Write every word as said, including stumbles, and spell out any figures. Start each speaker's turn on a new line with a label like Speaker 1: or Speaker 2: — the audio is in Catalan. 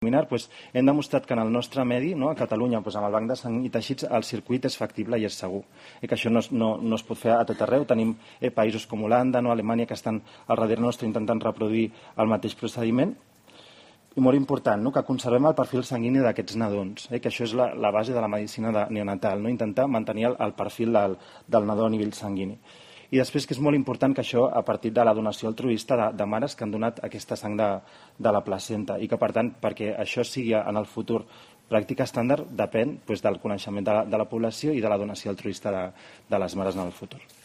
Speaker 1: Doncs hem demostrat que en el nostre medi, no, a Catalunya, doncs amb el banc de sang i teixits, el circuit és factible i és segur. I que això no, no, no es pot fer a tot arreu. Tenim eh, països com Holanda, no, Alemanya, que estan al darrere nostre intentant reproduir el mateix procediment. I molt important, no, que conservem el perfil sanguini d'aquests nadons, eh, que això és la, la base de la medicina de neonatal, no, intentar mantenir el, el perfil del, del nadó a nivell sanguini. I després que és molt important que això a partir de la donació altruista de, de mares que han donat aquesta sang de, de la placenta i que per tant perquè això sigui en el futur pràctica estàndard depèn doncs, del coneixement de la, de la població i de la donació altruista de, de les mares en el futur.